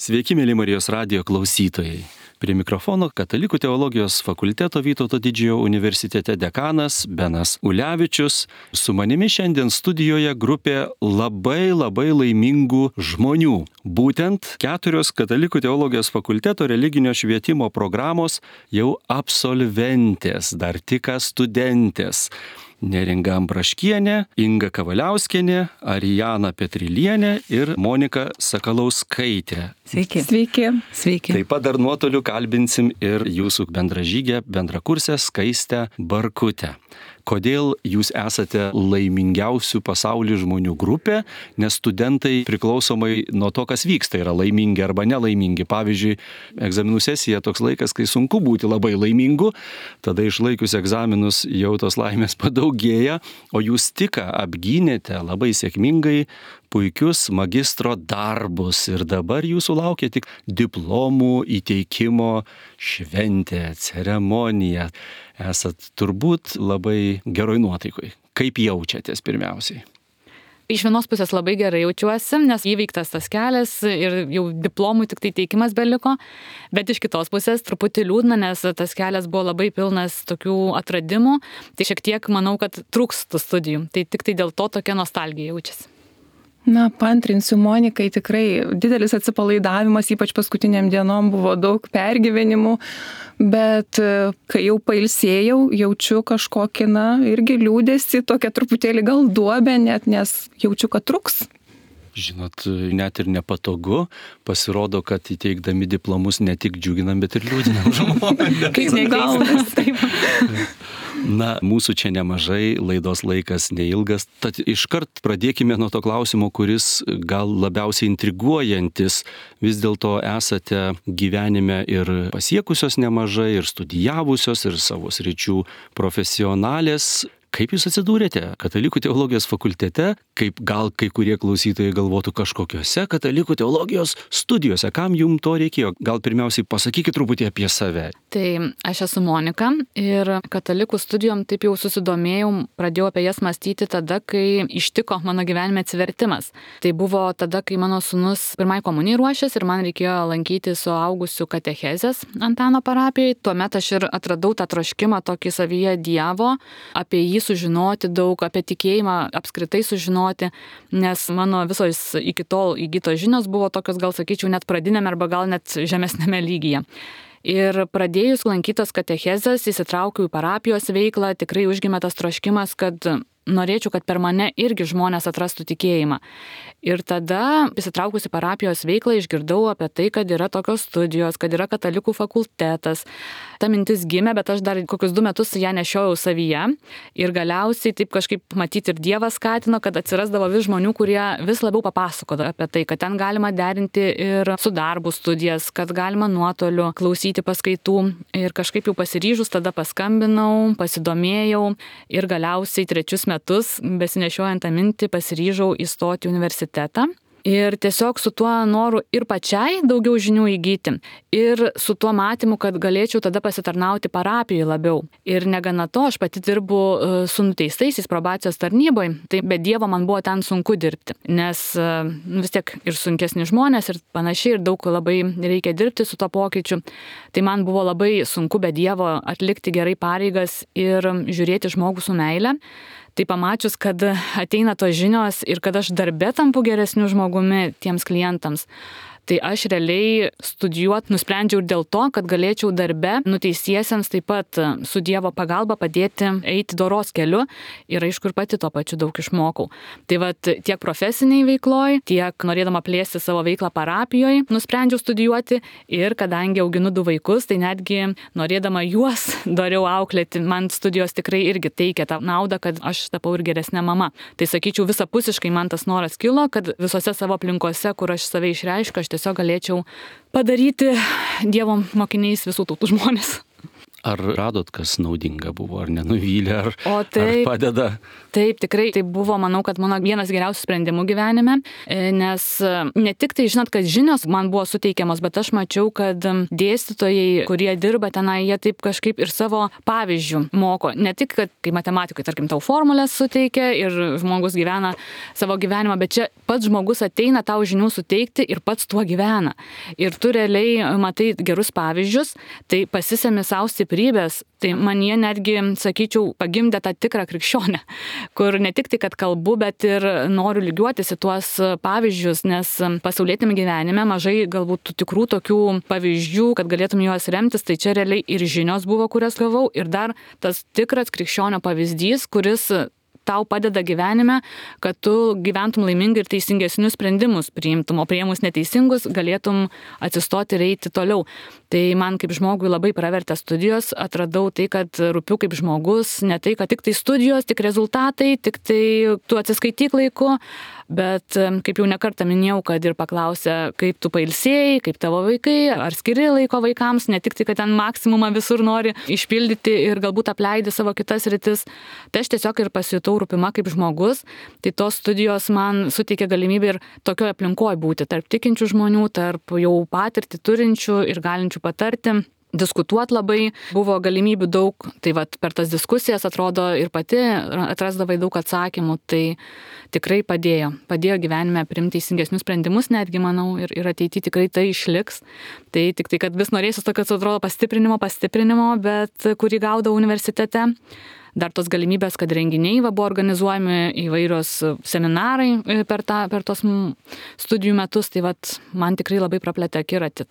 Sveiki, mėly Marijos radijo klausytojai. Prie mikrofono Katalikų teologijos fakulteto Vytauto Didžiojo universitete dekanas Benas Ulevičius. Su manimi šiandien studijoje grupė labai laimingų žmonių. Būtent 4 Katalikų teologijos fakulteto religinio švietimo programos jau absolventės, dar tik studentės. Neringa Ambraškienė, Inga Kavaliauskienė, Arijana Petrilienė ir Monika Sakalauskaitė. Sveiki. Taip pat dar nuotoliu kalbinsim ir jūsų bendražygę, bendrakursę Skaistę Barkutę. Kodėl jūs esate laimingiausių pasaulyje žmonių grupė, nes studentai priklausomai nuo to, kas vyksta, yra laimingi arba nelaimingi. Pavyzdžiui, egzaminų sesija toks laikas, kai sunku būti labai laimingu, tada išlaikius egzaminus jau tos laimės padaugėja, o jūs tik apgynėte labai sėkmingai puikius magistro darbus ir dabar jūsų laukia tik diplomų įteikimo šventė, ceremonija. Esat turbūt labai geroj nuotaikoj. Kaip jaučiatės pirmiausiai? Iš vienos pusės labai gerai jaučiuosi, nes įveiktas tas kelias ir jau diplomų tik tai teikimas beliko, bet iš kitos pusės truputį liūdna, nes tas kelias buvo labai pilnas tokių atradimų, tai šiek tiek manau, kad trūks tų studijų, tai tik tai dėl to tokia nostalgija jaučiasi. Paantrinsiu Monikai, tikrai didelis atsipalaidavimas, ypač paskutiniam dienom buvo daug pergyvenimų, bet kai jau pailsėjau, jaučiu kažkokį, irgi liūdesį, tokia truputėlį gal duobę net, nes jaučiu, kad truks. Žinot, net ir nepatogu, pasirodo, kad įteikdami diplomus ne tik džiuginam, bet ir liūdinam žmonės. Kaip nekeistas, taip. Mūsų čia nemažai, laidos laikas neilgas, tad iškart pradėkime nuo to klausimo, kuris gal labiausiai intriguojantis. Vis dėlto esate gyvenime ir pasiekusios nemažai, ir studijavusios, ir savo sričių profesionalės. Kaip jūs atsidūrėte Katalikų teologijos fakultete, kaip gal kai kurie klausytojai galvotų kažkokiose Katalikų teologijos studijose, kam jums to reikėjo? Gal pirmiausiai pasakykit truputį apie save. Tai aš esu Monika ir Katalikų studijom taip jau susidomėjau, pradėjau apie jas mąstyti tada, kai ištiko mano gyvenime atsivertimas. Tai buvo tada, kai mano sūnus pirmai komunijai ruošės ir man reikėjo lankyti suaugusių katechezės Antano parapijoje. Tuomet aš ir atradau tą troškimą tokį savyje Dievo, apie jį sužinoti daug, apie tikėjimą apskritai sužinoti, nes mano visos iki tol įgytos žinios buvo tokios, gal sakyčiau, net pradinėme arba gal net žemesnėme lygyje. Ir pradėjus lankytas katechezes, įsitraukiau į parapijos veiklą, tikrai užgimė tas troškimas, kad norėčiau, kad per mane irgi žmonės atrastų tikėjimą. Ir tada, įsitraukusi parapijos veiklą, išgirdau apie tai, kad yra tokios studijos, kad yra katalikų fakultetas. Ta mintis gimė, bet aš dar kokius 2 metus ją nešiojau savyje. Ir galiausiai taip kažkaip matyti ir Dievas skatino, kad atsirasdavo vis žmonių, kurie vis labiau papasakodavo apie tai, kad ten galima derinti ir su darbu studijas, kad galima nuotoliu klausyti paskaitų. Ir kažkaip jau pasiryžus tada paskambinau, pasidomėjau ir galiausiai 3 metus, besinešiojant tą mintį, pasiryžau įstoti į universitetą. Ir tiesiog su tuo noru ir pačiai daugiau žinių įgyti. Ir su tuo matymu, kad galėčiau tada pasitarnauti parapijoje labiau. Ir negana to, aš pati dirbu su nuteistaisiais probacijos tarnyboje. Tai be Dievo man buvo ten sunku dirbti. Nes vis tiek ir sunkesni žmonės ir panašiai, ir daug labai reikia dirbti su to pokyčiu. Tai man buvo labai sunku be Dievo atlikti gerai pareigas ir žiūrėti žmogų su meile. Tai pamačius, kad ateina tos žinios ir kad aš darbe tampu geresniu žmogumi tiems klientams, tai aš realiai studijuoti nusprendžiau ir dėl to, kad galėčiau darbe nuteistiesiems taip pat su Dievo pagalba padėti eiti doros keliu ir aišku ir pati to pačiu daug išmokau. Tai tiek profesiniai veikloj, tiek norėdama plėsti savo veiklą parapijoje, nusprendžiau studijuoti ir kadangi auginu 2 vaikus, tai netgi norėdama juos doriau auklėti, man studijos tikrai irgi teikia tą naudą, kad aš tapau ir geresnė mama. Tai sakyčiau, visapusiškai man tas noras kilo, kad visose savo aplinkose, kur aš save išreiškiu, aš tiesiog galėčiau padaryti Dievo mokiniais visų tautų žmonės. Ar radot, kas naudinga buvo, ar nenuvylė, ar padeda? Taip, tikrai. Tai buvo, manau, kad mano vienas geriausių sprendimų gyvenime, nes ne tik tai, žinot, kad žinios man buvo suteikiamos, bet aš mačiau, kad dėstytojai, kurie dirba tenai, jie taip kažkaip ir savo pavyzdžių moko. Ne tik, kad kai matematikai, tarkim, tau formulės suteikia ir žmogus gyvena savo gyvenimą, bet čia pats žmogus ateina tau žinių suteikti ir pats tuo gyvena. Ir tu realiai matai gerus pavyzdžius, tai pasisemi savo stiprybės, tai man jie netgi, sakyčiau, pagimdė tą tikrą krikščionę, kur ne tik tai, kad kalbu, bet ir noriu lygiuotis į tuos pavyzdžius, nes pasaulietiniame gyvenime mažai galbūt tų tikrų tokių pavyzdžių, kad galėtum juos remtis, tai čia realiai ir žinios buvo, kurias gavau, ir dar tas tikras krikščionio pavyzdys, kuris tau padeda gyvenime, kad tu gyventum laimingai ir teisingesnius sprendimus priimtum, o priėmus neteisingus galėtum atsistoti ir eiti toliau. Tai man kaip žmogui labai pravertė studijos, atradau tai, kad rūpiu kaip žmogus, ne tai, kad tik tai studijos, tik rezultatai, tik tai tu atsiskaityk laiku, bet kaip jau nekartą minėjau, kad ir paklausė, kaip tu pailsėjai, kaip tavo vaikai, ar skiri laiko vaikams, ne tik tai, kad ten maksimumą visur nori išpildyti ir galbūt apleidi savo kitas rytis. Tai aš tiesiog ir pasijutau rūpima kaip žmogus, tai tos studijos man suteikė galimybę ir tokioje aplinkoje būti, tarp tikinčių žmonių, tarp jau patirtį turinčių ir galinčių patarti. Diskutuoti labai, buvo galimybių daug, tai vat per tas diskusijas atrodo ir pati atrasdavai daug atsakymų, tai tikrai padėjo gyvenime priimti teisingesnius sprendimus, netgi manau, ir ateityje tikrai tai išliks. Tai tik tai, kad vis norėsiu tokio, atrodo, pastiprinimo, bet kurį gaudau universitete. Dar tos galimybės, kad renginiai buvo organizuojami įvairios seminarai per tos studijų metus, tai vat man tikrai labai praplėtė akiratį.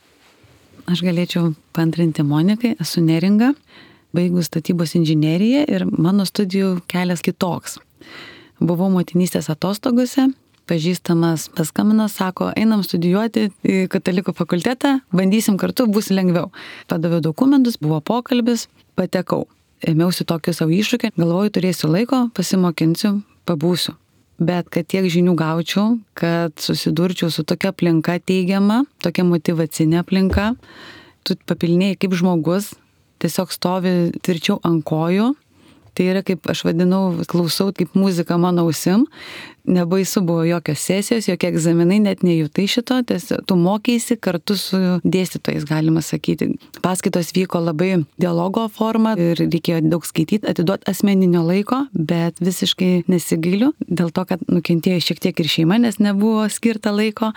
Aš galėčiau paantrinti Monikai, esu neringa, baigus statybos inžineriją ir mano studijų kelias kitoks. Buvau motinystės atostogose, pažįstamas paskambino, sako, einam studijuoti į katalikų fakultetą, bandysim kartu, bus lengviau. Padaviau dokumentus, buvo pokalbis, patekau. Ėmiausi tokiu savo iššūkį, galvoju, turėsiu laiko, pasimokinsiu, pabūsiu. Bet kad tiek žinių gaučiau, kad susidurčiau su tokia aplinka teigiama, tokia motyvacinė aplinka, tu papilnėjai kaip žmogus, tiesiog stovi tvirčiau ant kojų, tai yra kaip aš vadinau, klausau kaip muzika mano ausim, nebaisu buvo jokios sesijos, jokie egzaminai, net nejutai šito, tiesiog tu mokėsi kartu su dėstytojais, galima sakyti. Paskaitos vyko labai dialogo forma ir reikėjo daug skaityti, atiduoti asmeninio laiko, bet visiškai nesigailiu, dėl to, kad nukentėjo šiek tiek ir šeima, nes nebuvo skirta laiko,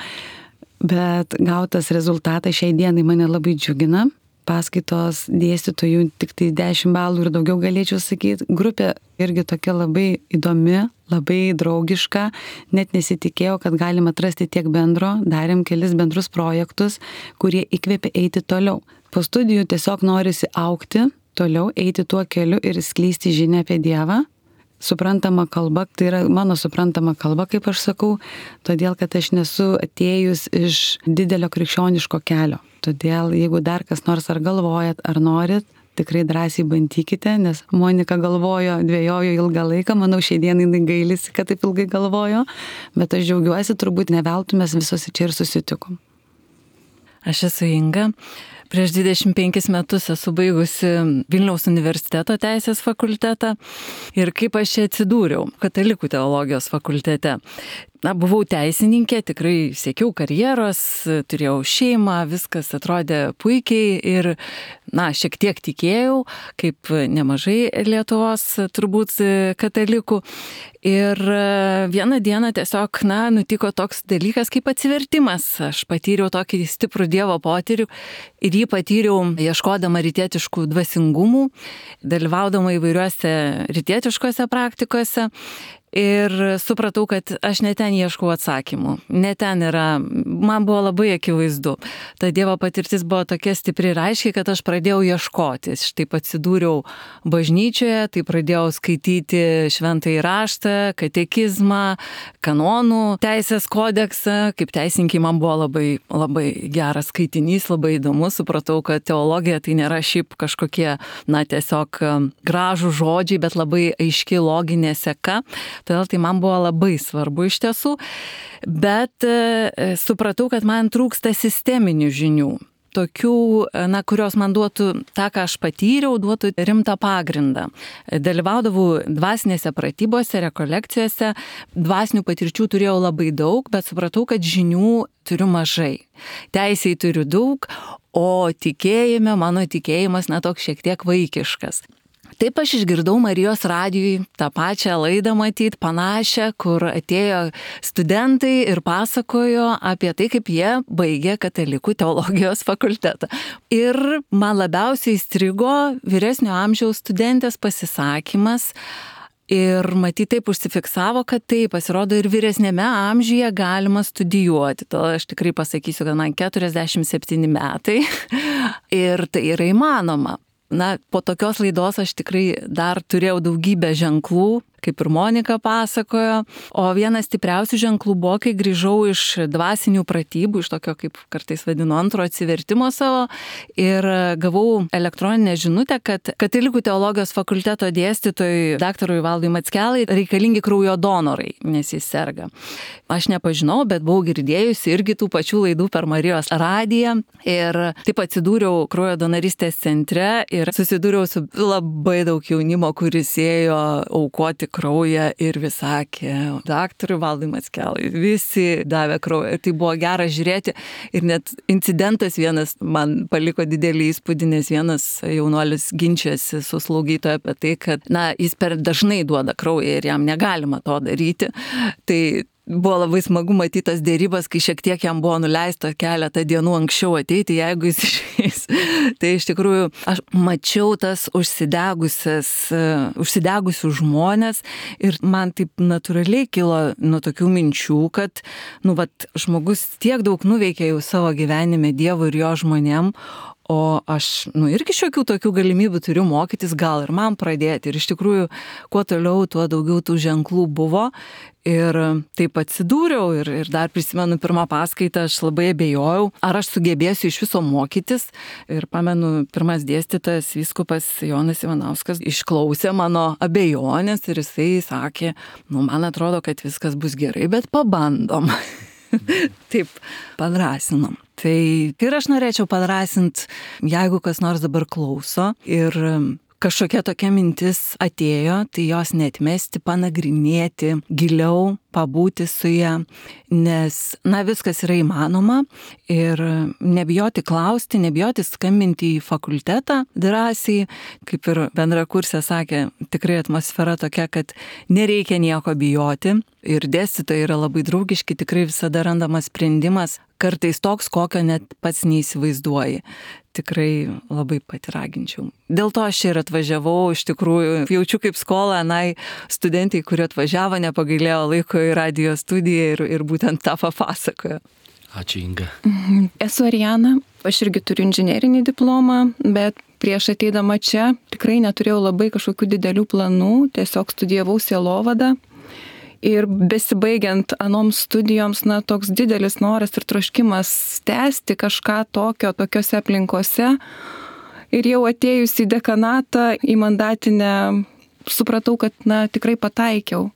bet gautas rezultatas šiai dienai mane labai džiugina. Paskaitos dėstytojų tik tai 10 balų ir daugiau galėčiau sakyti. Grupė irgi tokia labai įdomi, labai draugiška. Net nesitikėjau, kad galima atrasti tiek bendro. Darėm kelis bendrus projektus, kurie įkvėpė eiti toliau. Po studijų tiesiog norisi augti, toliau eiti tuo keliu ir skleisti žinią apie Dievą. Suprantama kalba, tai yra mano suprantama kalba, kaip aš sakau, todėl, kad aš nesu atėjus iš didelio krikščioniško kelio. Todėl, jeigu dar kas nors ar galvojat, ar norit, tikrai drąsiai bandykite, nes Monika galvojo, dvejojo ilgą laiką, manau, šiai dienai gailisi, kad taip ilgai galvojo, bet aš džiaugiuosi, turbūt ne veltui mes visos čia ir susitikom. Aš esu Inga. Prieš 25 metus esu baigusi Vilniaus universiteto teisės fakultetą ir kaip aš čia atsidūriau katalikų teologijos fakultete. Buvau teisininkė, tikrai siekiau karjeros, turėjau šeimą, viskas atrodė puikiai ir, šiek tiek tikėjau, kaip nemažai Lietuvos turbūt katalikų. Ir vieną dieną tiesiog, nutiko toks dalykas kaip atsivertimas. Aš patyriau tokį stiprų Dievo potyrį ir jį patyriau ieškodama rytietiškų dvasingumų, dalyvaudama įvairiuose rytietiškose praktikose. Ir supratau, kad aš ne ten ieškau atsakymų, ne ten yra, man buvo labai akivaizdu. Ta Dievo patirtis buvo tokia stipri ir aiškiai, kad aš pradėjau ieškoti. Štai atsidūriau bažnyčioje, tai pradėjau skaityti šventąjį raštą, katekizmą, kanonų teisės kodeksą. Kaip teisininkai man buvo labai, labai geras skaitinys, labai įdomus. Supratau, kad teologija tai nėra šiaip kažkokie, tiesiog gražų žodžiai, bet labai aiški loginė seka. Todėl tai man buvo labai svarbu iš tiesų, bet supratau, kad man trūksta sisteminių žinių. tokių, kurios man duotų tą, ką aš patyriau, duotų rimtą pagrindą. Dalyvaudavau dvasinėse pratybose, rekolekcijose, dvasinių patirčių turėjau labai daug, bet supratau, kad žinių turiu mažai. Teisėjai turiu daug, o tikėjime, mano tikėjimas toks šiek tiek vaikiškas. Taip aš išgirdau Marijos radijui tą pačią laidą matyt, panašią, kur atėjo studentai ir pasakojo apie tai, kaip jie baigė Katalikų teologijos fakultetą. Ir man labiausiai įstrigo vyresnio amžiaus studentės pasisakymas. Ir matyt taip užsifiksavo, kad taip, pasirodo ir vyresnėme amžiuje galima studijuoti. To aš tikrai pasakysiu, kad man 47 metai ir tai yra įmanoma. Po tokios laidos aš tikrai dar turėjau daugybę ženklų, kaip ir Monika pasakojo, o vienas stipriausių ženklų buvo, kai grįžau iš dvasinių pratybų, iš tokio, kaip kartais vadinu, antro atsivertimo savo ir gavau elektroninę žinutę, kad Katalikų teologijos fakulteto dėstytojui daktarui Valdui Mackelai reikalingi kraujo donorai, nes jis serga. Aš nepažinau, bet buvau girdėjusi irgi tų pačių laidų per Marijos radiją ir taip atsidūriau kraujo donorystės centre ir susidūriau su labai daug jaunimo, kuris ėjo aukoti kraują ir vis sakė, daktarui Valdui Mackelai, visi davė kraują. Ir tai buvo gera žiūrėti. Ir net incidentas vienas man paliko didelį įspūdį, nes vienas jaunuolis ginčiasi su slaugytoja apie tai, kad jis per dažnai duoda kraują ir jam negalima to daryti. Tai buvo labai smagu matyti tas dėrybas, kai šiek tiek jam buvo nuleista keletą dienų anksčiau ateiti, jeigu jis išeis. Tai iš tikrųjų aš mačiau tas užsidegusius žmonės ir man taip natūraliai kilo nuo tokių minčių, kad žmogus tiek daug nuveikė jau savo gyvenime Dievui ir jo žmonėm, o aš irgi šiokių tokių galimybių turiu mokytis, gal ir man pradėti. Ir iš tikrųjų, kuo toliau, tuo daugiau tų ženklų buvo. Ir taip atsidūriau ir dar prisimenu pirmą paskaitą, aš labai abejojau, ar aš sugebėsiu iš viso mokytis. Ir pamenu, pirmas dėstytojas, vyskupas Jonas Ivanauskas, išklausė mano abejonės ir jisai sakė, man atrodo, kad viskas bus gerai, bet pabandom. Taip, padrąsinom. Tai ir aš norėčiau padrąsinti, jeigu kas nors dabar klauso ir kažkokia tokia mintis atėjo, tai jos neatmesti, panagrinėti giliau, pabūti su ją, nes, viskas yra įmanoma ir nebijoti klausti, nebijoti skambinti į fakultetą drąsiai, kaip ir bendrakursė sakė, tikrai atmosfera tokia, kad nereikia nieko bijoti ir dėstytojai yra labai draugiški, tikrai visada randamas sprendimas, kartais toks, kokio net pats neįsivaizduoji. Tikrai labai patiraginčiau. Dėl to aš čia ir atvažiavau, iš tikrųjų, jaučiu kaip skolą, studentai, kurie atvažiavo, nepagailėjo laiko į radijo studiją ir būtent tą papasakojo. Ačiū, Inga. Esu Ariana, aš irgi turiu inžinerinį diplomą, bet prieš ateidama čia tikrai neturėjau labai kažkokių didelių planų, tiesiog studijavau sielovadą. Ir besibaigiant anoms studijoms, toks didelis noras ir troškimas tęsti kažką tokiose aplinkose. Ir jau atėjus į dekanatą, į mandatinę, supratau, kad tikrai pataikiau.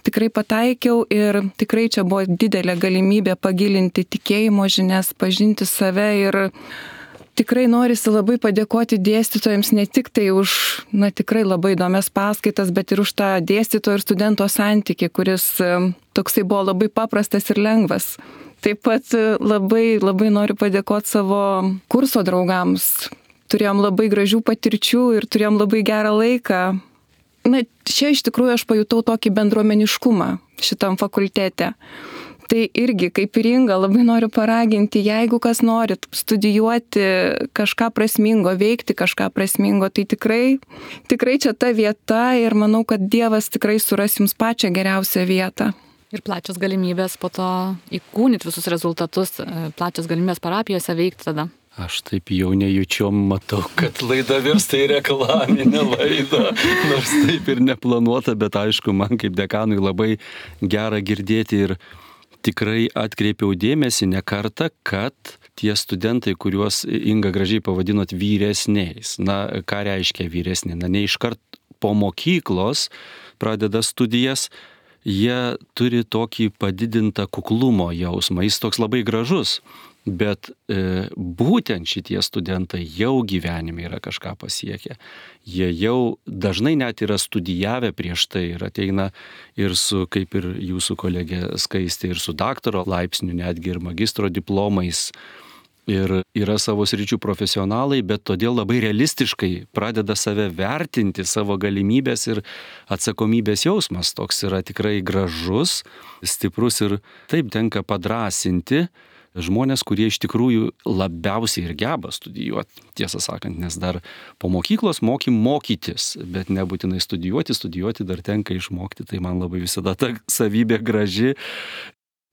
Tikrai pataikiau ir tikrai čia buvo didelė galimybė pagilinti tikėjimo žinias, pažinti save ir tikrai norisi labai padėkoti dėstytojams ne tik tai už, tikrai labai įdomias paskaitas, bet ir už tą dėstytojo ir studento santykį, kuris toksai buvo labai paprastas ir lengvas. Taip pat labai, labai noriu padėkoti savo kurso draugams. Turėjom labai gražių patirčių ir turėjom labai gerą laiką. Čia iš tikrųjų aš pajutau tokį bendruomeniškumą šitam fakultete. Tai irgi, kaip ir Inga, labai noriu paraginti, jeigu kas norit studijuoti kažką prasmingo, veikti kažką prasmingo, tai tikrai čia ta vieta ir manau, kad Dievas tikrai suras jums pačią geriausią vietą. Ir plačios galimybės po to įkūnyti visus rezultatus, plačios galimybės parapijose veikti tada. Aš taip jau nejučiom matau, kad laida virsta į reklaminę laidą, nors taip ir neplanuota, bet aišku, man kaip dekanui labai gera girdėti ir tikrai atkreipiau dėmesį ne kartą, kad tie studentai, kuriuos Inga gražiai pavadinot vyresniais, ką reiškia vyresni, ne iškart po mokyklos pradeda studijas, jie turi tokį padidintą kuklumo jausmą, jis toks labai gražus, Bet būtent šitie studentai jau gyvenime yra kažką pasiekę. Jie jau dažnai net yra studijavę prieš tai ir ateina ir su, kaip ir jūsų kolegė Skaistė, ir su daktaro laipsniu, netgi ir magistro diplomais. Ir yra savo sričių profesionalai, bet todėl labai realistiškai pradeda save vertinti, savo galimybės ir atsakomybės jausmas. Toks yra tikrai gražus, stiprus ir taip tenka padrąsinti žmonės, kurie iš tikrųjų labiausiai ir geba studijuoti, tiesą sakant, nes dar po mokyklos mokytis, bet nebūtinai studijuoti dar tenka išmokti, tai man labai visada ta savybė graži.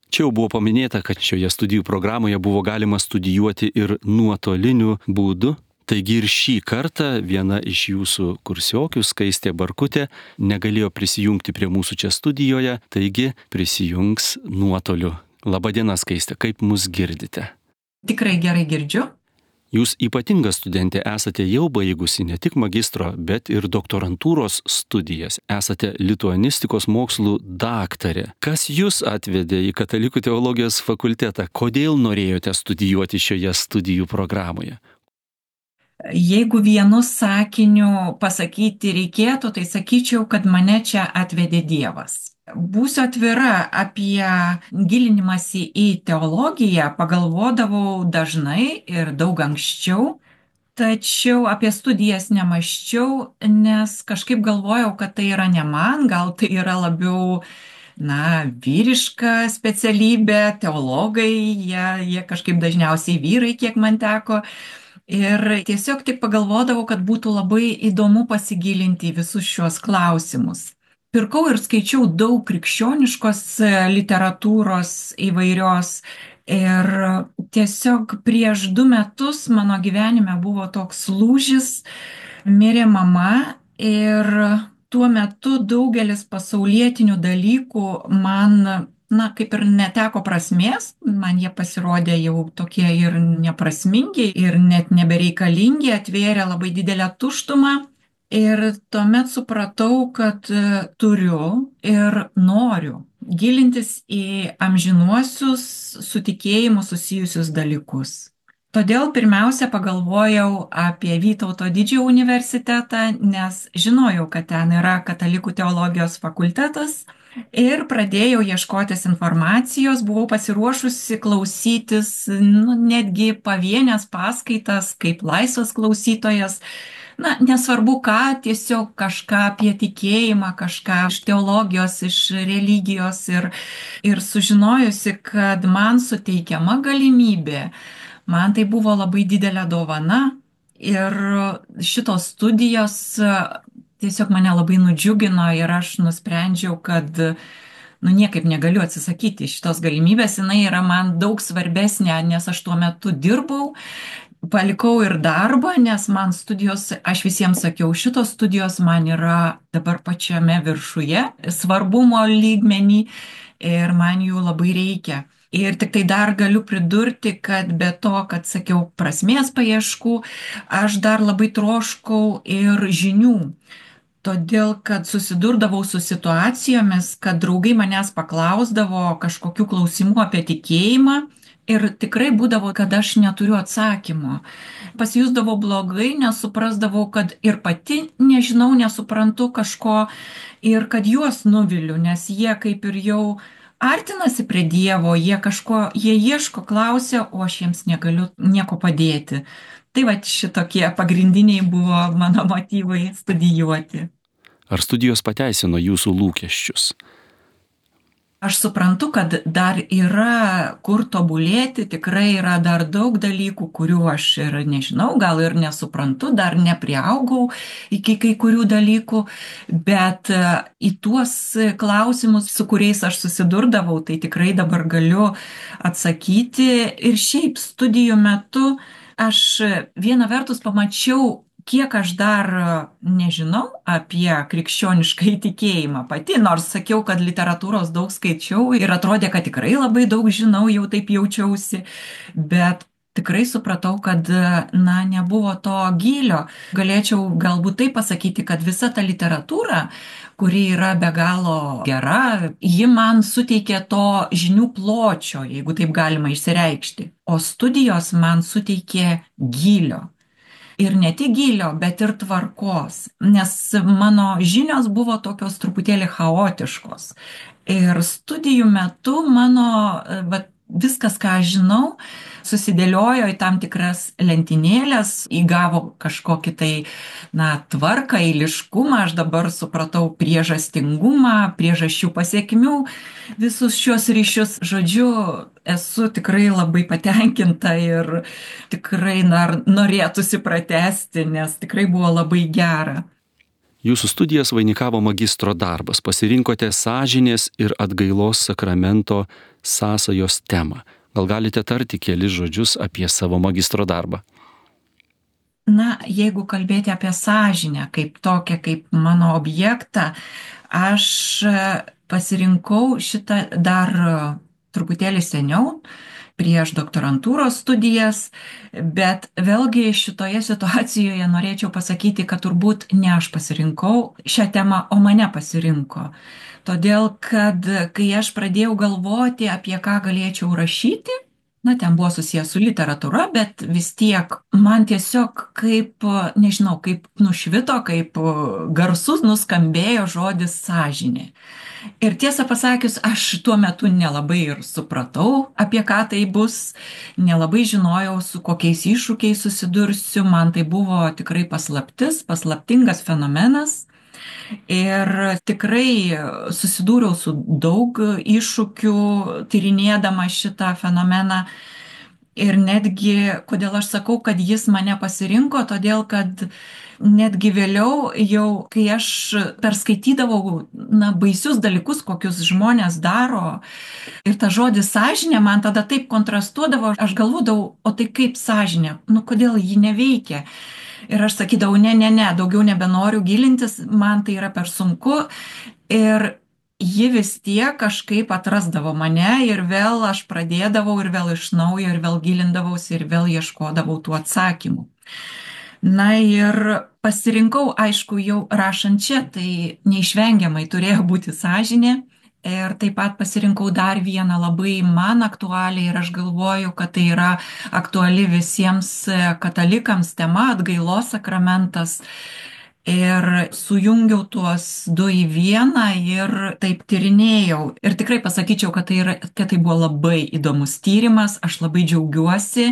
Čia jau buvo paminėta, kad šioje studijų programoje buvo galima studijuoti ir nuotoliniu būdu. Taigi ir šį kartą viena iš jūsų kursiokių, Skaistė Barkutė, negalėjo prisijungti prie mūsų čia studijoje, taigi prisijungs nuotoliu. Labadiena, Skaistė, kaip mus girdite? Tikrai gerai girdžiu. Jūs ypatinga studentė, esate jau baigusi ne tik magistro, bet ir doktorantūros studijas. Esate lituanistikos mokslų daktarė. Kas jūs atvedė į Katalikų teologijos fakultetą? Kodėl norėjote studijuoti šioje studijų programoje? Jeigu vienu sakiniu pasakyti reikėtų, tai sakyčiau, kad mane čia atvedė Dievas. Būsiu atvira, apie gilinimąsi į teologiją pagalvodavau dažnai ir daug anksčiau, tačiau apie studijas nemaščiau, nes kažkaip galvojau, kad tai yra ne man, gal tai yra labiau vyriška specialybė, teologai, jie kažkaip dažniausiai vyrai, kiek man teko. Ir tiesiog tik pagalvodavau, kad būtų labai įdomu pasigilinti į visus šios klausimus. Pirkau ir skaičiau daug krikščioniškos literatūros įvairios ir tiesiog prieš 2 metus mano gyvenime buvo toks lūžis, mirė mama ir tuo metu daugelis pasaulietinių dalykų man kaip ir neteko prasmės, man jie pasirodė jau tokie ir neprasmingi ir net nebereikalingi, atvėrė labai didelę tuštumą. Ir tuomet supratau, kad turiu ir noriu gilintis į amžinuosius su tikėjimu susijusius dalykus. Todėl pirmiausia pagalvojau apie Vytauto Didžiojo universitetą, nes žinojau, kad ten yra Katalikų teologijos fakultetas ir pradėjau ieškotis informacijos, buvau pasiruošusi klausytis netgi pavienės paskaitas kaip laisvas klausytojas. Nesvarbu ką, tiesiog kažką apie tikėjimą, kažką iš teologijos, iš religijos ir sužinojusi, kad man suteikiama galimybė, man tai buvo labai didelė dovana ir šitos studijos tiesiog mane labai nudžiugino ir aš nusprendžiau, kad niekaip negaliu atsisakyti šitos galimybės, jinai yra man daug svarbesnė, nes aš tuo metu dirbau. Palikau ir darbą, nes man studijos, aš visiems sakiau, šitos studijos man yra dabar pačiame viršuje, svarbumo lygmenį ir man jų labai reikia. Ir tik tai dar galiu pridurti, kad be to, kad sakiau prasmės paieškų, aš dar labai troškau ir žinių. Todėl, kad susidurdavau su situacijomis, kad draugai manęs paklausdavo kažkokių klausimų apie tikėjimą, ir tikrai būdavo, kad aš neturiu atsakymo. Pasijusdavau blogai, nesuprasdavau, kad ir pati nežinau, nesuprantu kažko ir kad juos nuviliu, nes jie kaip ir jau artinasi prie Dievo, jie ieško, klausia, o aš jiems negaliu nieko padėti. Tai šitokie pagrindiniai buvo mano motyvai studijuoti. Ar studijos pateisino jūsų lūkesčius? Aš suprantu, kad dar yra kur tobulėti, tikrai yra dar daug dalykų, kurių aš ir nežinau, gal ir nesuprantu, dar nepriaugau iki kai kurių dalykų, bet į tuos klausimus, su kuriais aš susidurdavau, tai tikrai dabar galiu atsakyti. Ir šiaip studijų metu aš viena vertus pamačiau, kiek aš dar nežinau apie krikščionišką įtikėjimą pati, nors sakiau, kad literatūros daug skaičiau ir atrodė, kad tikrai labai daug žinau, jau taip jaučiausi, bet tikrai supratau, kad nebuvo to gylio. Galėčiau galbūt taip pasakyti, kad visa ta literatūra, kuri yra be galo gera, ji man suteikė to žinių pločio, jeigu taip galima išsireikšti, o studijos man suteikė gylio. Ir ne tik gylio, bet ir tvarkos, nes mano žinios buvo tokios truputėlį chaotiškos. Ir studijų metu mano viskas, ką aš žinau, susidėliojo į tam tikras lentynėlės, įgavo kažkokį tai, tvarką, eiliškumą, aš dabar supratau priežastingumą, priežasčių pasiekmių, visus šios ryšius. Žodžiu, esu tikrai labai patenkinta ir tikrai norėtųsi pratęsti, nes tikrai buvo labai gera. Jūsų studijas vainikavo magistro darbas, pasirinkote sąžinės ir atgailos sakramento sąsajos temą. Gal galite tarti kelis žodžius apie savo magistro darbą? Jeigu kalbėti apie sąžinę kaip tokią, kaip mano objektą, aš pasirinkau šitą dar truputėlį seniau, prieš doktorantūros studijas, bet vėlgi šitoje situacijoje norėčiau pasakyti, kad turbūt ne aš pasirinkau šią temą, o mane pasirinko. Todėl, kad kai aš pradėjau galvoti, apie ką galėčiau rašyti, ten buvo susijęs su literatūra, bet vis tiek man tiesiog kaip nušvito, kaip garsus nuskambėjo žodis sąžinė. Ir tiesą pasakius, aš tuo metu nelabai ir supratau, apie ką tai bus, nelabai žinojau, su kokiais iššūkiais susidursiu, man tai buvo tikrai paslaptingas fenomenas. Ir tikrai susidūriau su daug iššūkių, tyrinėdama šitą fenomeną. Ir netgi, kodėl aš sakau, kad jis mane pasirinko, todėl kad netgi vėliau jau, kai aš perskaitydavau baisius dalykus, kokius žmonės daro, ir ta žodis sąžinė man tada taip kontrastuodavo, aš galvodavau, o tai kaip sąžinė, kodėl ji neveikia? Ir aš sakydavau, ne, daugiau nebenoriu gilintis, man tai yra per sunku. Ir ji vis tiek kažkaip atrasdavo mane ir vėl aš pradėdavau ir vėl iš naujo ir vėl gilindavausi ir vėl ieškodavau tų atsakymų. Ir pasirinkau, aišku, jau rašant čia, tai neišvengiamai turėjo būti sąžinė. Ir taip pat pasirinkau dar vieną labai man aktualią ir aš galvoju, kad tai yra aktuali visiems katalikams tema, atgailos sakramentas. Ir sujungiau tuos du į vieną ir taip tyrinėjau. Ir tikrai pasakyčiau, kad tai buvo labai įdomus tyrimas, aš labai džiaugiuosi.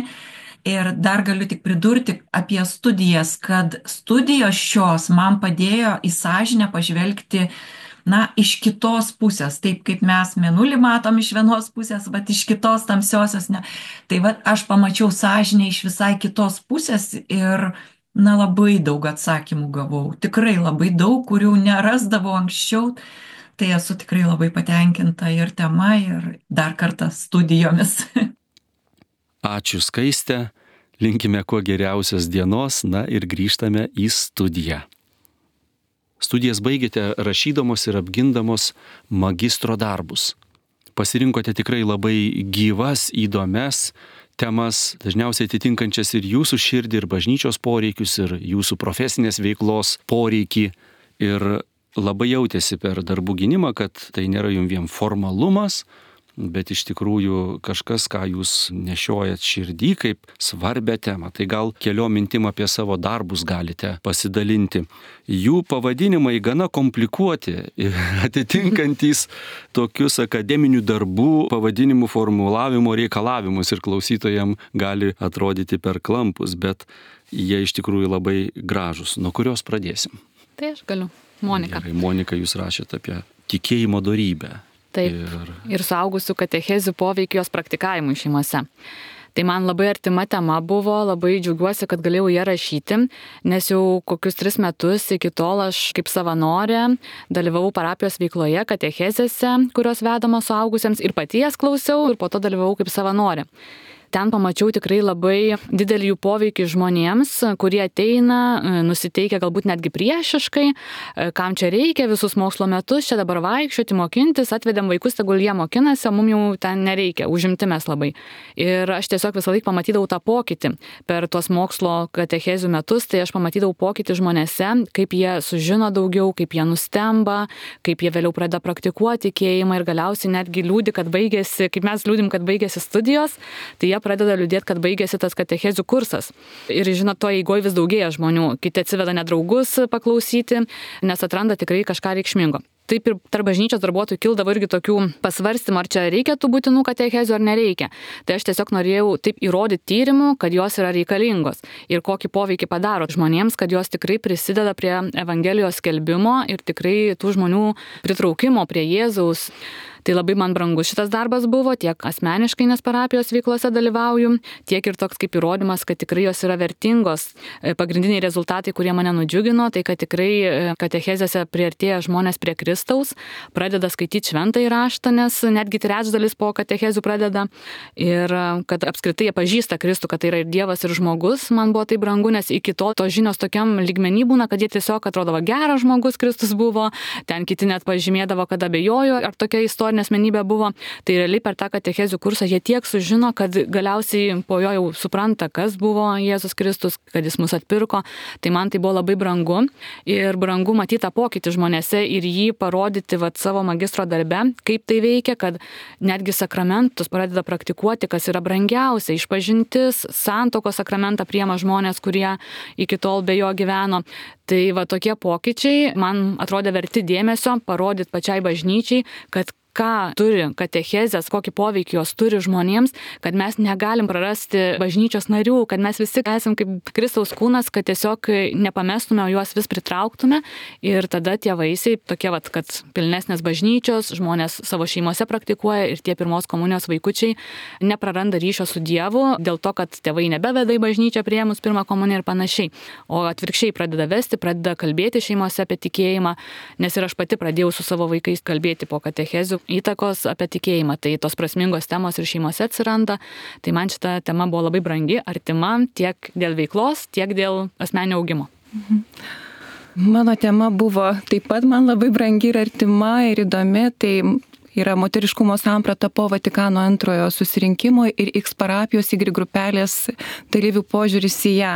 Ir dar galiu tik pridurti apie studijas, kad studijos šios man padėjo į sąžinę pažvelgti iš kitos pusės, taip kaip mes mėnulį matom iš vienos pusės, bet iš kitos tamsiosios ne. Tai aš pamačiau sąžinę iš visai kitos pusės ir labai daug atsakymų gavau. Tikrai labai daug, kurių nerasdavau anksčiau. Tai esu tikrai labai patenkinta ir tema, ir dar kartą studijomis. Ačiū Skaiste, linkime kuo geriausios dienos, ir grįžtame į studiją. Studijas baigėte rašydamos ir apgindamos magistro darbus. Pasirinkote tikrai labai gyvas, įdomias temas, dažniausiai atitinkančias ir jūsų širdį, ir bažnyčios poreikius, ir jūsų profesinės veiklos poreikį. Ir labai jautėsi per darbų gynimą, kad tai nėra jums vien formalumas, bet iš tikrųjų kažkas, ką jūs nešiojat širdį kaip svarbią temą. Tai gal keliom mintim apie savo darbus galite pasidalinti. Jų pavadinimai gana komplikuoti, atitinkantys tokius akademinių darbų pavadinimų formulavimo reikalavimus ir klausytojams gali atrodyti per klampus, bet jie iš tikrųjų labai gražus. Nuo kurios pradėsim? Tai aš galiu. Monika. Gerai, Monika, jūs rašėte apie tikėjimo dorybę. Taip, ir suaugusių katechezių poveikį jos praktikavimui šeimose. Tai man labai artima tema buvo, labai džiaugiuosi, kad galėjau ją rašyti, nes jau kokius 3 metus iki tol aš kaip savanorė dalyvavau parapijos veikloje, katechezėse, kurios vedamos suaugusiems ir paties klausiau ir po to dalyvavau kaip savanorė. ten pamačiau tikrai labai didelį jų poveikį žmonėms, kurie ateina, nusiteikia galbūt netgi priešiškai, kam čia reikia visus mokslo metus, čia dabar vaikščioti, mokintis, atvedėm vaikus, tegul jie mokinasi, o mums jau ten nereikia, užimti mes labai. Ir aš tiesiog visą laiką pamatydavau tą pokytį. Per tuos mokslo katechezių metus, tai aš pamatydavau pokytį žmonėse, kaip jie sužino daugiau, kaip jie nustemba, kaip jie vėliau pradeda praktikuoti tikėjimą ir galiausiai netgi liūdi, kad baigėsi, kaip mes liūdim, kad baigėsi studijos, tai jie pradeda liūdėti, kad baigėsi tas katechezių kursas. Ir žinot, to eigoje vis daugėja žmonių, kiti atsiveda nedraugus paklausyti, nes atranda tikrai kažką reikšmingo. Taip ir tarp bažnyčios darbuotojų kildavo irgi tokių pasvarstymų, ar čia reikia tų būtinų katechezių ar nereikia. Tai aš tiesiog norėjau taip įrodyti tyrimų, kad jos yra reikalingos ir kokį poveikį padaro žmonėms, kad jos tikrai prisideda prie Evangelijos skelbimo ir tikrai tų žmonių pritraukimo prie Jėzaus. Tai labai man brangus šitas darbas buvo, tiek asmeniškai, nes parapijos veiklose dalyvauju, tiek ir toks kaip įrodymas, kad tikrai jos yra vertingos. Pagrindiniai rezultatai, kurie mane nudžiugino, tai kad tikrai katechezėse priartėja žmonės prie Kristaus, pradeda skaityti šventąjį raštą, nes netgi trečdalis po katechezių pradeda. Ir kad apskritai jie pažįsta Kristų, kad tai yra ir Dievas, ir žmogus, man buvo tai brangu, nes iki to žinios tokiam lygmenį būna, kad jie tiesiog atrodo geras žmogus Kristus buvo, ten kiti net pažymėdavo, kad abejojo, ar tokia istorija asmenybė buvo, tai realiai per tą katechezių kursą jie tiek sužino, kad galiausiai po jo jau supranta, kas buvo Jėzus Kristus, kad jis mus atpirko. Tai man tai buvo labai brangu ir brangu matyti tą pokytį žmonėse ir jį parodyti savo magistro darbe, kaip tai veikia, kad netgi sakramentus pradeda praktikuoti, kas yra brangiausia, išpažintis, santuokos sakramentą priima žmonės, kurie iki tol be jo gyveno. Tai tokie pokyčiai man atrodė verti dėmesio, parodyti pačiai bažnyčiai, kad ką turi katechezės, kokį poveikį jos turi žmonėms, kad mes negalim prarasti bažnyčios narių, kad mes visi esame kaip Kristaus kūnas, kad tiesiog nepamestume, o juos vis pritrauktume ir tada tie vaisiai, tokie kad pilnesnės bažnyčios, žmonės savo šeimose praktikuoja ir tie pirmos komunijos vaikučiai nepraranda ryšio su Dievu, dėl to, kad tėvai nebeveda į bažnyčią priėmus pirmą komuniją ir panašiai, o atvirkščiai pradeda vesti, pradeda kalbėti šeimose apie tikėjimą, nes ir aš pati pradėjau su savo vaikais kalbėti po katechezių įtakos apie tikėjimą, tai tos prasmingos temos ir šeimose atsiranda, tai man šita tema buvo labai brangi, artima tiek dėl veiklos, tiek dėl asmeninio augimo. Mano tema buvo taip pat man labai brangi ir artima ir įdomi, tai yra moteriškumo samprata po Vatikano antrojo susirinkimo ir X parapijos Y grupelės dalyvių požiūris į ją.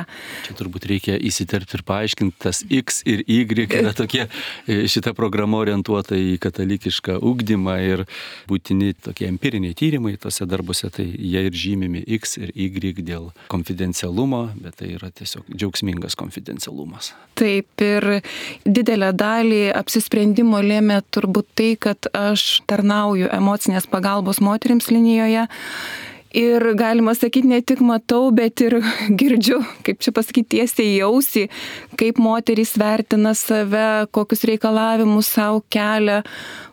Čia turbūt reikia įsiterpti ir paaiškinti, tas X ir Y yra tokie, šita programa orientuota į katalikišką ugdymą ir būtini tokie empiriniai tyrimai tose darbuose, tai jie ir žymimi X ir Y dėl konfidencialumo, bet tai yra tiesiog džiaugsmingas konfidencialumas. Taip, ir didelę dalį apsisprendimo lėmė turbūt tai, kad aš tarnauju emocinės pagalbos moterims linijoje. Ir galima sakyti, ne tik matau, bet ir girdžiu, kaip čia pasakyti, tiesiai į ausį, kaip moterys vertina save, kokius reikalavimus savo kelia.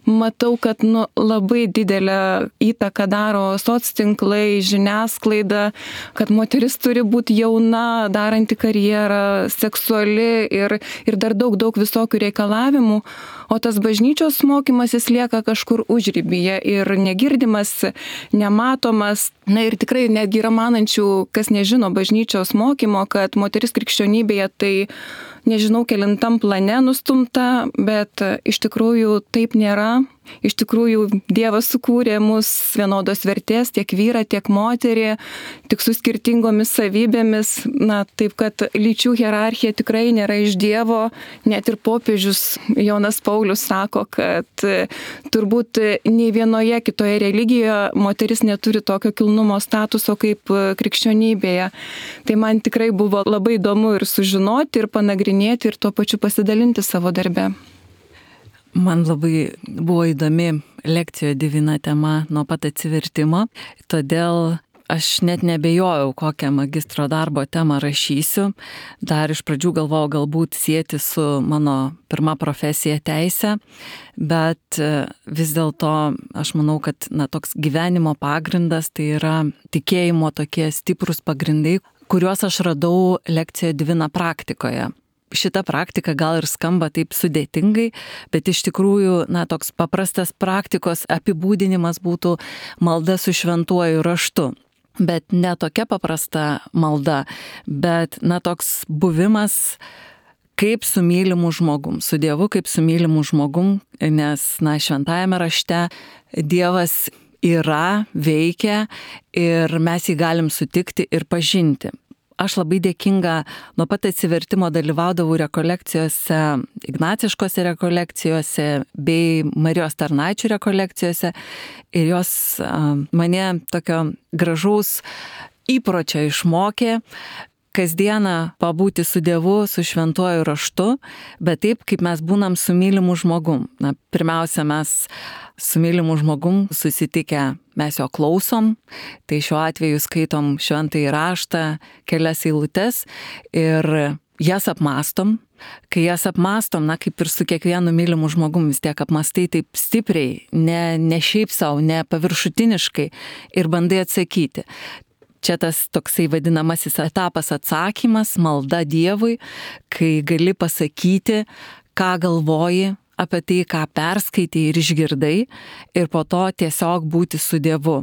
Matau, kad labai didelę įtaką daro soctinklai, žiniasklaida, kad moteris turi būti jauna, daranti karjerą, seksuali ir dar daug visokių reikalavimų, o tas bažnyčios mokymasis lieka kažkur užribyje ir negirdimas, nematomas. Na ir tikrai netgi yra manančių, kas nežino bažnyčios mokymo, kad moteris krikščionybėje tai nežinau kelintam plane nustumta, bet iš tikrųjų taip nėra. Iš tikrųjų Dievas sukūrė mus vienodos vertės, tiek vyrą, tiek moterį, tik su skirtingomis savybėmis. Na, taip kad lyčių hierarchija tikrai nėra iš Dievo. Net ir popiežius Jonas Paulius sako, kad turbūt nei vienoje kitoje religijoje moteris neturi tokio kilnumo statuso kaip krikščionybėje. Tai man tikrai buvo labai įdomu ir sužinoti, ir panagrinėti, ir tuo pačiu pasidalinti savo darbe. Man labai buvo įdomi lekcijo Divina tema nuo pat atsivertimo, todėl aš net nebejojau, kokią magistro darbo temą rašysiu. Dar iš pradžių galvojau galbūt sieti su mano pirma profesija teise, bet vis dėlto aš manau, kad toks gyvenimo pagrindas tai yra tikėjimo tokie stiprus pagrindai, kuriuos aš radau lekcijo Divina praktikoje. Šita praktika gal ir skamba taip sudėtingai, bet iš tikrųjų, toks paprastas praktikos apibūdinimas būtų malda su šventuoju raštu. bet ne tokia paprasta malda, bet toks buvimas kaip su mylimu žmogum, su Dievu kaip su mylimu žmogum, nes šventajame rašte Dievas yra, veikia ir mes jį galim sutikti ir pažinti. Aš labai dėkinga, nuo pat atsivertimo dalyvaudavau rekolekcijose, ignaciškose rekolekcijose bei Marijos tarnaičių rekolekcijose ir jos mane tokio gražaus įpročio išmokė kasdieną pabūti su Dievu, su šventuoju raštu, bet taip, kaip mes būnam su mylimu žmogum. Pirmiausia, mes su mylimu žmogum susitikę, mes jo klausom, tai šiuo atveju skaitom šventąjį raštą, kelias eilutes ir jas apmastom. Kai jas apmastom, kaip ir su kiekvienu mylimu žmogum, vis tiek apmastai taip stipriai, ne šiaip savo, ne paviršutiniškai ir bandai atsakyti. Čia tas toksai vadinamasis etapas atsakymas, malda Dievui, kai gali pasakyti, ką galvoji apie tai, ką perskaitai ir išgirdai, ir po to tiesiog būti su Dievu.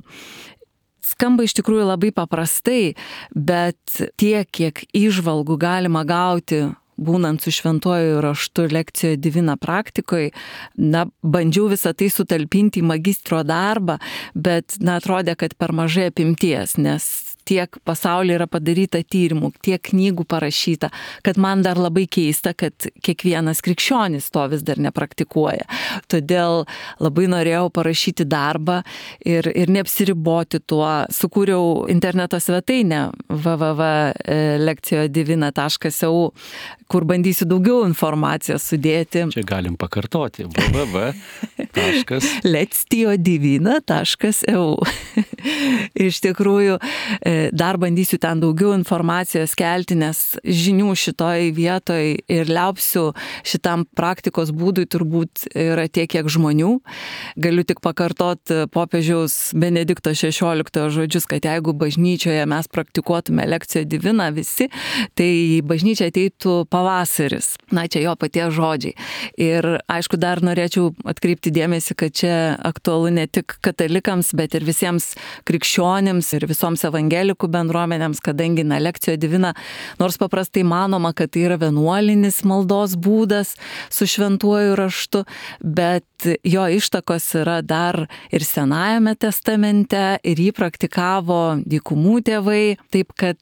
Skamba iš tikrųjų labai paprastai, bet tiek, kiek įžvalgų galima gauti būnant su šventuoju raštu lekcijoje Divina praktikoje, bandžiau visą tai sutalpinti į magistro darbą, bet atrodė, kad per mažai apimties, nes tiek pasaulyje yra padaryta tyrimų, tiek knygų parašyta, kad man dar labai keista, kad kiekvienas krikščionis to vis dar nepraktikuoja. Todėl labai norėjau parašyti darbą ir neapsiriboti tuo. Sukūriau interneto svetainę www.lekcijodivina.eu, kur bandysiu daugiau informacijos sudėti. Čia galim pakartoti. www.lekcijodivina.eu. Iš tikrųjų, dar bandysiu ten daugiau informacijos kelti, nes žinių šitoj vietoj ir liaupsiu šitam praktikos būdui turbūt yra tiek, kiek žmonių. Galiu tik pakartoti popiežiaus Benedikto XVI žodžius, kad jeigu bažnyčioje mes praktikuotume lekciją Diviną visi, tai į bažnyčią ateitų pavasaris. Čia jo paties žodžiai. Ir aišku, dar norėčiau atkreipti dėmesį, kad čia aktualu ne tik katalikams, bet ir visiems krikščionims ir visoms evangelikų bendruomenėms, kadangi lekcijo Divina, nors paprastai manoma, kad tai yra vienuolinis maldos būdas su šventuoju raštu, bet jo ištakos yra dar ir Senajame testamente ir jį praktikavo dykumų tėvai, taip kad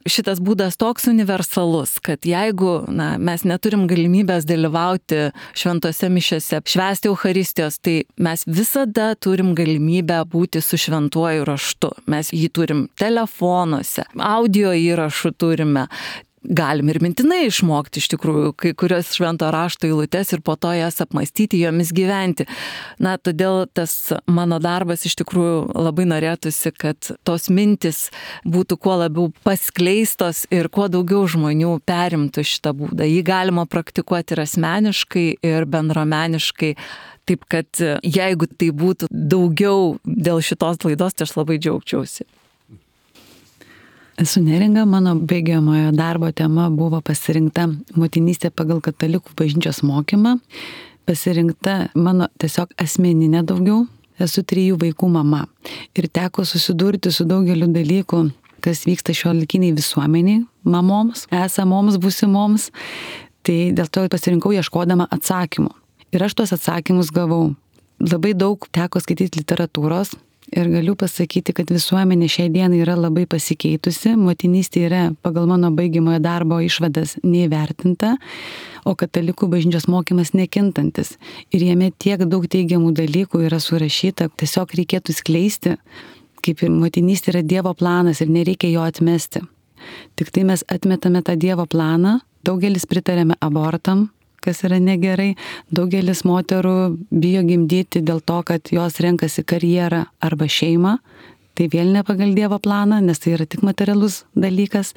šitas būdas toks universalus, kad jeigu mes neturim galimybės dalyvauti šventose mišiose, švęsti Eucharistijos, tai mes visada turim galimybę būti su šventuoju raštu. Mes jį turim telefonuose, audio įrašų turime. Galim ir mintinai išmokti iš tikrųjų kai kurios švento rašto eilutes ir po to jas apmastyti, jomis gyventi. Todėl tas mano darbas iš tikrųjų labai norėtųsi, kad tos mintis būtų kuo labiau paskleistos ir kuo daugiau žmonių perimtų šitą būdą. Jį galima praktikuoti ir asmeniškai, ir bendruomeniškai. Taip kad jeigu tai būtų daugiau dėl šitos laidos, tai aš labai džiaugčiausi. Esu neringa, mano baigiamojo darbo tema buvo pasirinkta motinystė pagal katalikų bažnyčios mokymą. Pasirinkta mano tiesiog asmeninė daugiau. Esu 3 vaikų mama ir teko susidurti su daugeliu dalykų, kas vyksta šiuolaikiniai visuomeniai, mamoms, esamoms, būsimoms. Tai dėl to pasirinkau ieškodama atsakymų. Ir aš tuos atsakymus gavau. Labai daug teko skaityti literatūros. Ir galiu pasakyti, kad visuomenė šiai dienai yra labai pasikeitusi, motinystė yra pagal mano baigiamojo darbo išvadas neįvertinta, o katalikų bažnyčios mokymas nekintantis. Ir jame tiek daug teigiamų dalykų yra surašyta, tiesiog reikėtų skleisti, kaip ir motinystė yra Dievo planas ir nereikia jo atmesti. Tik tai mes atmetame tą Dievo planą, daugelis pritarėme abortam, kas yra negerai. Daugelis moterų bijo gimdyti dėl to, kad jos renkasi karjerą arba šeimą. Tai vėl ne pagal Dievo planą, nes tai yra tik materialus dalykas,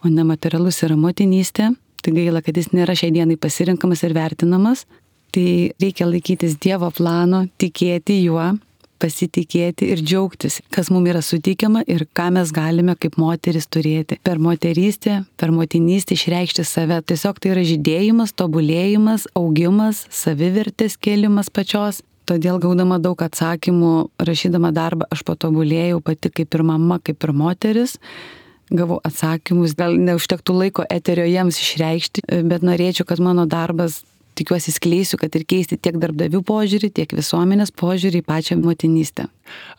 o nematerialus yra motinystė. Tai gaila, kad jis nėra šiai dienai pasirinkamas ir vertinamas. Tai reikia laikytis Dievo plano, tikėti juo, pasitikėti ir džiaugtis, kas mums yra suteikiama ir ką mes galime kaip moteris turėti. Per moterystę, per motinystę išreikšti save. Tiesiog tai yra žydėjimas, tobulėjimas, augimas, savivertės kėlimas pačios. Todėl gaudama daug atsakymų, rašydama darbą, aš patobulėjau pati kaip ir mama, kaip ir moteris. Gavau atsakymus, gal neužtektų laiko eterio jiems išreikšti, bet norėčiau, kad mano darbas, tikiuosi, skleisiu, kad ir keisti tiek darbdavių požiūrį, tiek visuomenės požiūrį į pačią motinystę.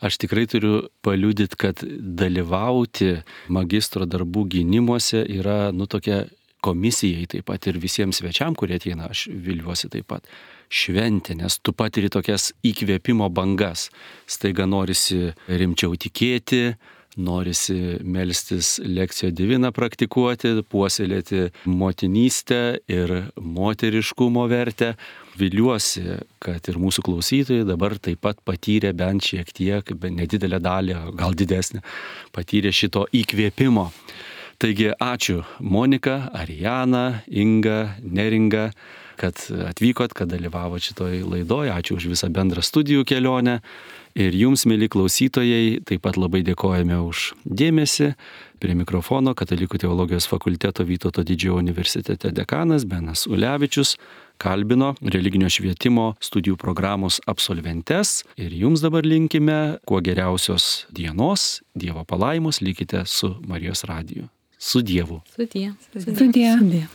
Aš tikrai turiu paliudyti, kad dalyvauti magistro darbų gynimuose yra, tokia komisijai taip pat ir visiems svečiam, kurie ateina, aš viliuosi taip pat, šventė, nes tu patiri tokias įkvėpimo bangas. Staiga norisi rimčiau tikėti, norisi melstis lekcijo diviną praktikuoti, puoselėti motinystę ir moteriškumo vertę. Viliuosi, kad ir mūsų klausytojai dabar taip pat patyrė bent šiek tiek, nedidelę dalį, gal didesnę, patyrė šito įkvėpimo. Taigi ačiū Monika, Arijana, Inga, Neringa, kad atvykot, kad dalyvavot šitoj laidoj. Ačiū už visą bendrą studijų kelionę. Ir jums, mieli klausytojai, taip pat labai dėkojame už dėmesį. Prie mikrofono Katalikų teologijos fakulteto Vytauto Didžiojo universitete dekanas Benas Ulevičius kalbino religinio švietimo studijų programos absolventes. Ir jums dabar linkime kuo geriausios dienos, Dievo palaimos, likite su Marijos radiju. Su Dievu. Sudie. Sudie.